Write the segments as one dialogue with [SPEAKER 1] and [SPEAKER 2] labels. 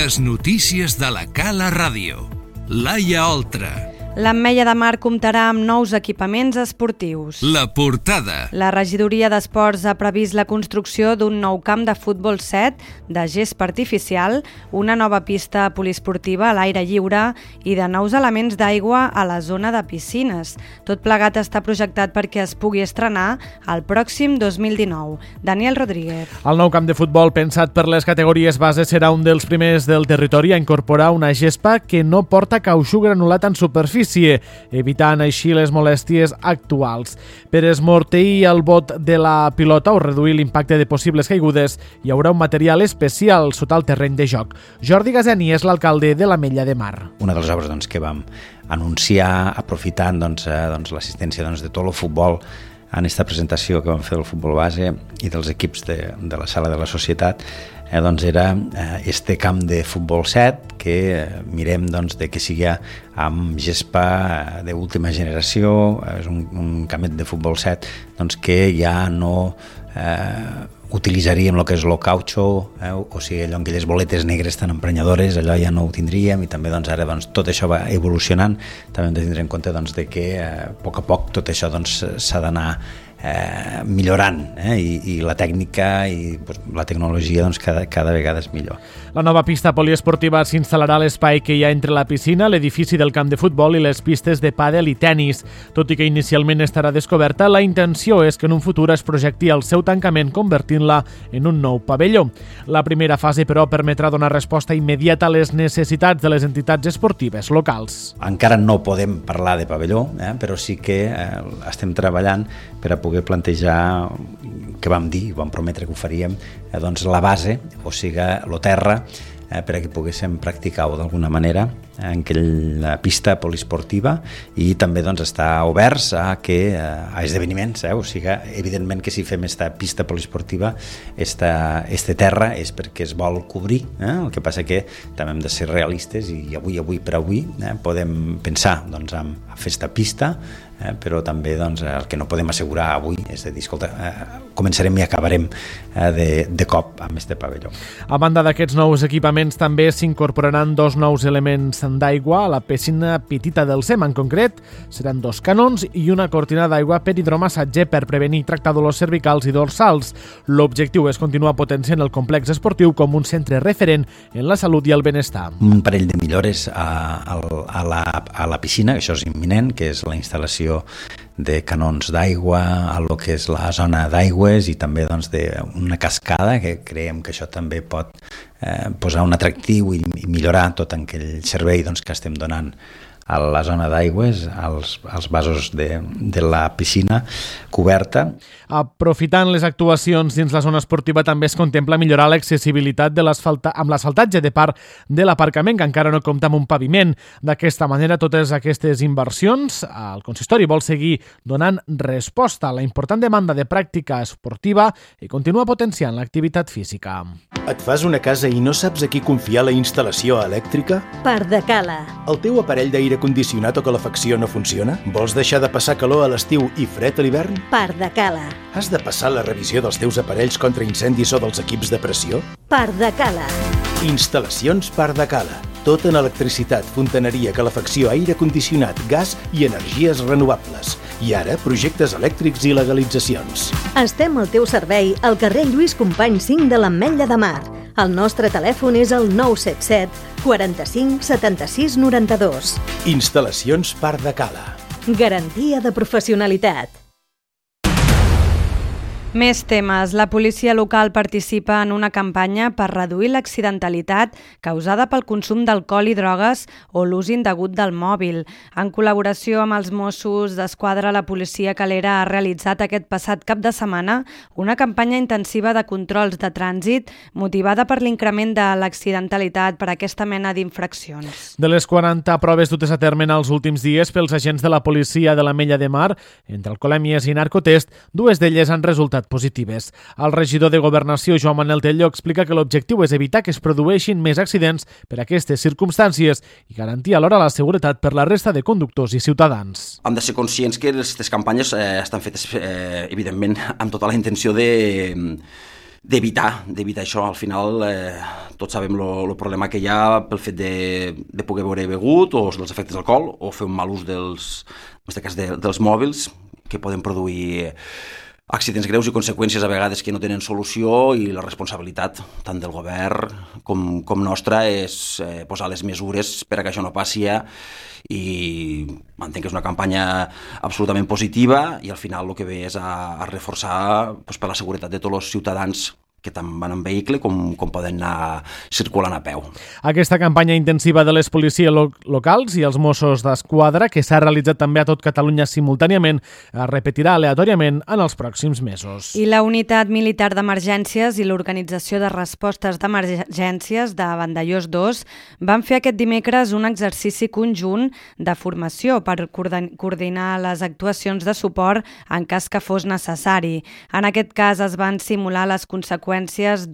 [SPEAKER 1] Les notícies de la Cala Ràdio. Laia Oltra.
[SPEAKER 2] L'Ametlla de Mar comptarà amb nous equipaments esportius.
[SPEAKER 1] La portada.
[SPEAKER 2] La regidoria d'Esports ha previst la construcció d'un nou camp de futbol 7 de gespa artificial, una nova pista poliesportiva a l'aire lliure i de nous elements d'aigua a la zona de piscines. Tot plegat està projectat perquè es pugui estrenar el pròxim 2019. Daniel Rodríguez.
[SPEAKER 3] El nou camp de futbol pensat per les categories base serà un dels primers del territori a incorporar una gespa que no porta cautxú granulat en superfície, evitant així les molèsties actuals. Per esmorteir el bot de la pilota o reduir l'impacte de possibles caigudes, hi haurà un material especial sota el terreny de joc. Jordi Gazeni és l'alcalde de l'Ametlla de Mar.
[SPEAKER 4] Una de les obres que vam anunciar aprofitant l'assistència de tot el futbol en aquesta presentació que vam fer del futbol base i dels equips de la sala de la societat, era este camp de futbol 7 que mirem de que sigui amb gespa d'última generació. És un campet de futbol 7 que ja no utilitzaríem el que és el cautxú, o sigui, allò en aquelles boletes negres tan emprenyadores, allò ja no ho tindríem, i també ara tot això va evolucionant. També hem de tindre en compte que a poc tot això s'ha d'anar millorant, i la tècnica i la tecnologia cada vegada és millor.
[SPEAKER 3] La nova pista poliesportiva s'instal·larà a l'espai que hi ha entre la piscina, l'edifici del camp de futbol i les pistes de pàdel i tennis. Tot i que inicialment estarà descoberta, la intenció és que en un futur es projecti el seu tancament convertint-la en un nou pavelló. La primera fase, però, permetrà donar resposta immediata a les necessitats de les entitats esportives locals.
[SPEAKER 4] Encara no podem parlar de pavelló, però sí que estem treballant per a poder plantejar, que vam dir, vam prometre que ho faríem, la base, o sigui, el terra, per a que poguéssim practicar-ho d'alguna manera en aquella pista poliesportiva, i també estar oberts a esdeveniments, o sigui, evidentment que si fem aquesta pista poliesportiva, este terra és perquè es vol cobrir, el que passa que també hem de ser realistes i avui per avui podem pensar en fer aquesta pista, però també el que no podem assegurar avui és de dir, escolta, començarem i acabarem de cop amb este pavelló.
[SPEAKER 3] A banda d'aquests nous equipaments també s'incorporaran dos nous elements d'aigua a la piscina petita del SEM. En concret, seran dos canons i una cortina d'aigua per hidromassatge per prevenir i tractar dolors cervicals i dorsals. L'objectiu és continuar potenciant el complex esportiu com un centre referent en la salut i el benestar.
[SPEAKER 4] Un parell de millores a la piscina, això és imminent, que és la instal·lació de canons d'aigua a lo que és la zona d'aigües i també d'una cascada, que creiem que això també pot posar un atractiu i millorar tot aquell servei que estem donant a la zona d'aigües, als vasos de la piscina coberta.
[SPEAKER 3] Aprofitant les actuacions dins la zona esportiva, també es contempla millorar l'accessibilitat amb l'asfaltatge de part de l'aparcament, que encara no compta amb un paviment. D'aquesta manera, totes aquestes inversions, el consistori vol seguir donant resposta a la important demanda de pràctica esportiva i continua potenciant l'activitat física.
[SPEAKER 5] Et fas una casa i no saps a qui confiar la instal·lació elèctrica?
[SPEAKER 6] Pardacala.
[SPEAKER 5] El teu aparell d'aire condicionat o calefacció no funciona? Vols deixar de passar calor a l'estiu i fred a l'hivern?
[SPEAKER 6] Pardacala.
[SPEAKER 5] Has de passar la revisió dels teus aparells contra incendis o dels equips de pressió?
[SPEAKER 6] Pardacala.
[SPEAKER 5] Instal·lacions Pardacala. Tot en electricitat, fontaneria, calefacció, aire condicionat, gas i energies renovables. I ara, projectes elèctrics i legalitzacions.
[SPEAKER 6] Estem al teu servei al carrer Lluís Companys 5 de l'Ametlla de Mar. El nostre telèfon és el 977 45 76 92.
[SPEAKER 5] Instal·lacions Pardacala.
[SPEAKER 6] Garantia de professionalitat.
[SPEAKER 2] Més temes. La policia local participa en una campanya per reduir l'accidentalitat causada pel consum d'alcohol i drogues o l'ús indegut del mòbil. En col·laboració amb els Mossos d'Esquadra, la policia calera ha realitzat aquest passat cap de setmana una campanya intensiva de controls de trànsit motivada per l'increment de l'accidentalitat per aquesta mena d'infraccions.
[SPEAKER 3] De les 40 proves dutes a terme en els últims dies pels agents de la policia de l'Ametlla de Mar, entre alcoholèmies i narcotest, dues d'elles han resultat positives. El regidor de Governació, Joan Manel Tello, explica que l'objectiu és evitar que es produeixin més accidents per aquestes circumstàncies i garantir alhora la seguretat per la resta de conductors i ciutadans.
[SPEAKER 7] Hem de ser conscients que aquestes campanyes estan fetes, evidentment, amb tota la intenció de d'evitar això. Al final tots sabem el problema que hi ha pel fet de poder beure begut o dels efectes d'alcohol o fer un mal ús en aquest cas dels mòbils que poden produir accidents greus i conseqüències a vegades que no tenen solució, i la responsabilitat tant del govern com nostra és posar les mesures per a que això no passi, i entenc que és una campanya absolutament positiva i al final el que ve és a reforçar per la seguretat de tots els ciutadans que tant van en vehicle com poden anar circulant a peu.
[SPEAKER 3] Aquesta campanya intensiva de les policies locals i els Mossos d'Esquadra, que s'ha realitzat també a tot Catalunya simultàniament, es repetirà aleatòriament en els pròxims mesos.
[SPEAKER 2] I la Unitat Militar d'Emergències i l'Organització de Respostes d'Emergències de Vandellòs 2 van fer aquest dimecres un exercici conjunt de formació per coordinar les actuacions de suport en cas que fos necessari. En aquest cas es van simular les conseqüències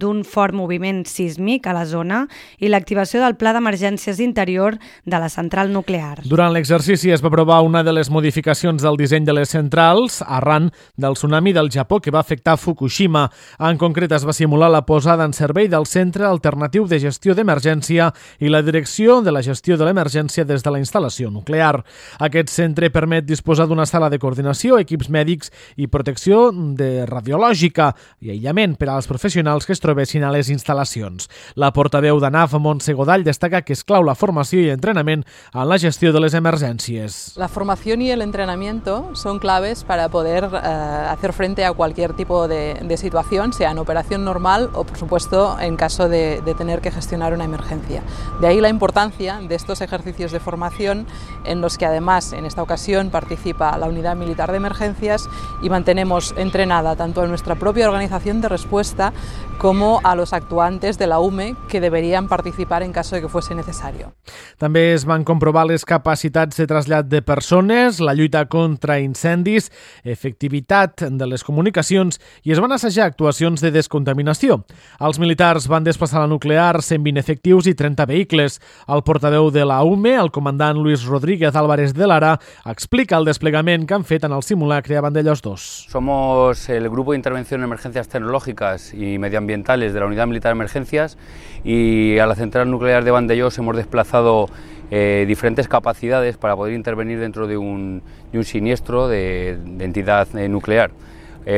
[SPEAKER 2] d'un fort moviment sísmic a la zona i l'activació del Pla d'Emergències Interior de la central nuclear.
[SPEAKER 3] Durant l'exercici es va aprovar una de les modificacions del disseny de les centrals arran del tsunami del Japó que va afectar Fukushima. En concret, es va simular la posada en servei del Centre Alternatiu de Gestió d'Emergència i la Direcció de la Gestió de l'Emergència des de la instal·lació nuclear. Aquest centre permet disposar d'una sala de coordinació, equips mèdics i protecció radiològica i aïllament per als professionals que es trobessin a les instal·lacions. La portaveu d'ANAF, Montse Godall, destaca que és clau la formació y entrenament en la gestió de les emergències.
[SPEAKER 8] La formación y el entrenamiento son claves para poder hacer frente a cualquier tipo de situación, sea en operación normal o, por supuesto, en caso de tener que gestionar una emergencia. De ahí la importancia de estos ejercicios de formación en los que, además, en esta ocasión participa la Unidad Militar de Emergencias y mantenemos entrenada tanto a nuestra propia organización de respuesta como a los actuantes de la UME que deberían participar en caso de que fuese necesario.
[SPEAKER 3] També es van comprovar les capacitats de trasllat de persones, la lluita contra incendis, efectivitat de les comunicacions i es van assajar actuacions de descontaminació. Els militars van desplaçar la nuclear 120 efectius i 30 vehicles. El portaveu de la UME, el comandant Luis Rodríguez Álvarez de Lara, explica el desplegament que han fet en el simulacre a Vandellòs 2.
[SPEAKER 9] Somos el Grupo de Intervención en Emergencias Tecnológicas y Medioambientales de la Unidad Militar de Emergencias, y a la central nuclear de Vandellòs hemos desplazado diferentes capacidades para poder intervenir dentro de un siniestro de entidad nuclear.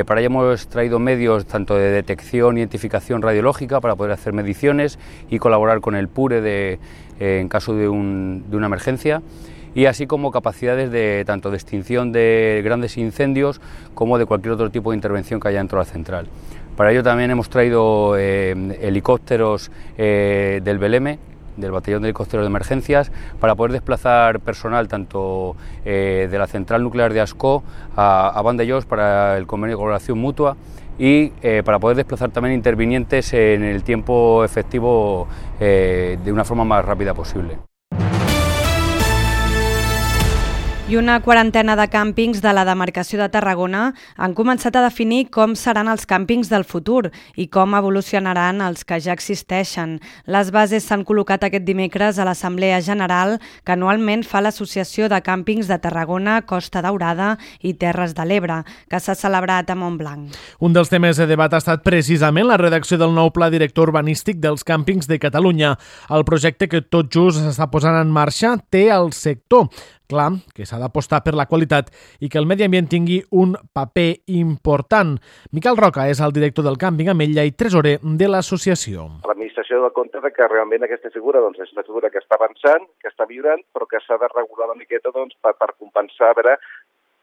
[SPEAKER 9] Para ello hemos traído medios tanto de detección e identificación radiológica para poder hacer mediciones y colaborar con el PURE en caso de una emergencia, y así como capacidades tanto de extinción de grandes incendios como de cualquier otro tipo de intervención que haya dentro de la central. Para ello también hemos traído helicópteros del BELEME, del Batallón de Helicópteros de Emergencias, para poder desplazar personal tanto de la central nuclear de Ascó a Vandellòs para el convenio de colaboración mutua, y para poder desplazar también intervinientes en el tiempo efectivo de una forma más rápida posible.
[SPEAKER 2] I una quarantena de càmpings de la demarcació de Tarragona han començat a definir com seran els càmpings del futur i com evolucionaran els que ja existeixen. Les bases s'han col·locat aquest dimecres a l'Assemblea General que anualment fa l'Associació de Càmpings de Tarragona, Costa Daurada i Terres de l'Ebre, que s'ha celebrat a Montblanc.
[SPEAKER 3] Un dels temes de debat ha estat precisament la redacció del nou Pla Director Urbanístic dels Càmpings de Catalunya. El projecte que tot just s'està posant en marxa té el sector. Clar, que s'ha d'apostar per la qualitat i que el medi ambient tingui un paper important. Miquel Roca és el director del càmping Ametlla i tresorer de l'associació.
[SPEAKER 10] L'administració dona compte que realment aquesta figura és una figura que està avançant, que està millorant, però que s'ha de regular una miqueta per compensar, a veure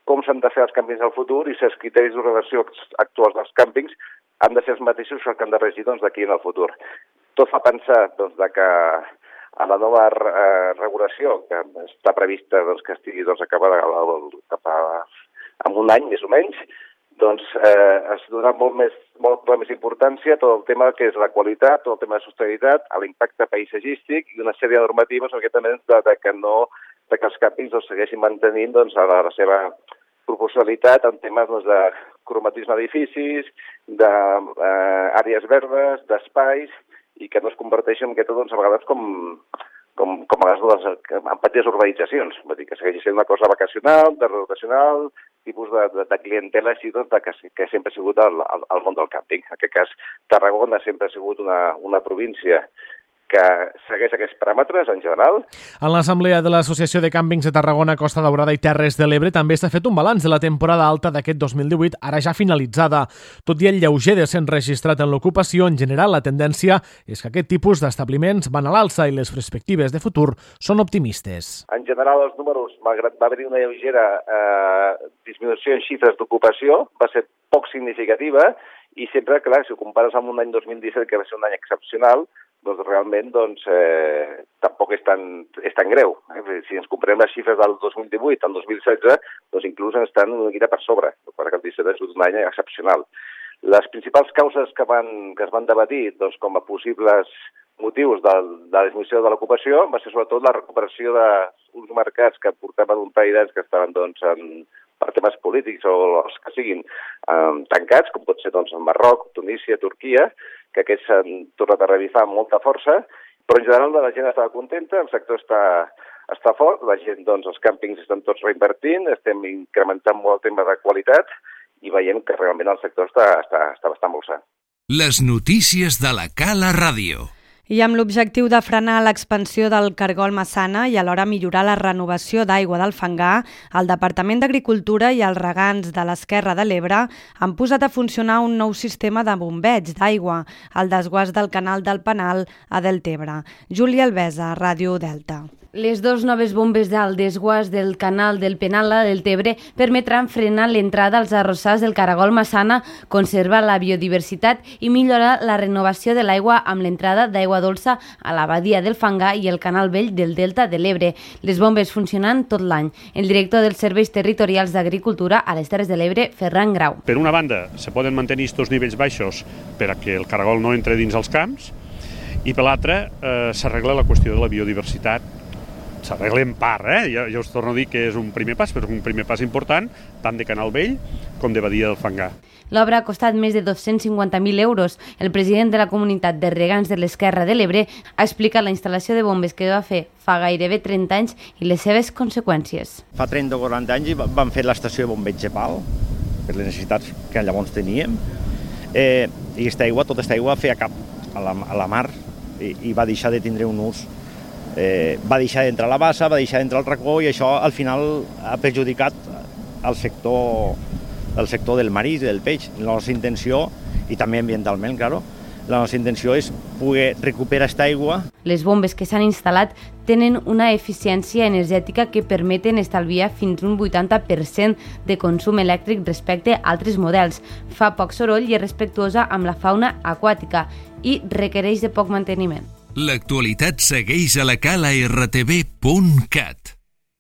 [SPEAKER 10] com s'han de fer els càmpings del futur i si els criteris d'ordenació actuals dels càmpings han de ser els mateixos que han de regir d'aquí en el futur. Tot fa pensar que a la nova regulació, que està prevista que estigui acabada cap en un any, més o menys, es donarà molt més importància a tot el tema que és la qualitat, tot el tema de sostenibilitat, a l'impacte paisatgístic i una sèrie de normatives que els càmpings segueixin mantenint la seva proporcionalitat en temes de cromatisme d'edificis, d'àrees verdes, d'espais, i que no es converteixen a vegades com com a vegades en petites urbanitzacions. Vull dir que segueix sent una cosa vacacional, de rotacional, tipus de clientela així, doncs, que sempre ha sigut el món del càmping. En aquest cas, Tarragona sempre ha sigut una província que segueix aquests paràmetres en general.
[SPEAKER 3] En l'assemblea de l'Associació de Càmpings de Tarragona, Costa Daurada i Terres de l'Ebre també s'ha fet un balanç de la temporada alta d'aquest 2018, ara ja finalitzada. Tot i el lleuger descens registrat en l'ocupació, en general la tendència és que aquest tipus d'establiments van a l'alça i les perspectives de futur són optimistes.
[SPEAKER 10] En general, els números, malgrat va haver-hi una lleugera disminució en xifres d'ocupació, va ser poc significativa i sempre, clar, si ho compares amb un any 2017, que va ser un any excepcional, doncs realment tampoc és tan greu. Si ens comparem les xifres del 2018 al 2016, doncs inclús estan una miqueta per sobre, perquè el 17 és un any excepcional. Les principals causes que es van debatir doncs, com a possibles motius de la disminució de l'ocupació va ser sobretot la recuperació d'uns mercats que portaven un parell d'anys que estaven per temes polítics o els que siguin tancats, com pot ser el Marroc, Tunísia, Turquia, que aquests s'han tornat a revifar amb molta força, però en general la gent estava contenta, el sector està fort, la gent, els càmpings estan tots reinvertint, estem incrementant molt el tema de qualitat i veiem que realment el sector està bastant molt sa.
[SPEAKER 1] Les notícies de la Cala Ràdio.
[SPEAKER 2] I amb l'objectiu de frenar l'expansió del cargol Massana i alhora millorar la renovació d'aigua del Fangar, el Departament d'Agricultura i els regants de l'Esquerra de l'Ebre han posat a funcionar un nou sistema de bombeig d'aigua al desguàs del canal del Penal a Deltebre. Júlia Albesa, Ràdio Delta.
[SPEAKER 11] Les dues noves bombes del desguàs del canal del Penal a Deltebre permetran frenar l'entrada als arrossars del caragol Massana, conservar la biodiversitat i millorar la renovació de l'aigua amb l'entrada d'aigua dolça a la badia del Fangar i el canal vell del Delta de l'Ebre. Les bombes funcionen tot l'any. El director dels Serveis Territorials d'Agricultura a les Terres de l'Ebre, Ferran Grau.
[SPEAKER 12] Per una banda, se poden mantenir aquests nivells baixos per a que el caragol no entre dins els camps i per l'altra s'arregla la qüestió de la biodiversitat. S'arregla en part, jo us torno a dir que és un primer pas, però és un primer pas important, tant de Canal Vell com de Badia del Fangar.
[SPEAKER 11] L'obra ha costat més de 250.000 euros. El president de la comunitat de regants de l'Esquerra de l'Ebre ha explicat la instal·lació de bombes que va fer fa gairebé 30 anys i les seves conseqüències.
[SPEAKER 13] Fa 30 o 40 anys vam fer l'estació de bombeig de pal, per les necessitats que llavors teníem, i tota aquesta aigua feia cap a la mar i va deixar de tindre un ús. Va deixar d'entrar a la bassa, va deixar d'entrar al racó i això al final ha perjudicat el sector del marisc i del peix. La nostra intenció, i també ambientalment, claro, la nostra intenció és poder recuperar aquesta aigua.
[SPEAKER 11] Les bombes que s'han instal·lat tenen una eficiència energètica que permeten estalviar fins un 80% de consum elèctric respecte a altres models. Fa poc soroll i és respectuosa amb la fauna aquàtica i requereix de poc manteniment.
[SPEAKER 1] L'actualitat segueix a la cala rtv.cat.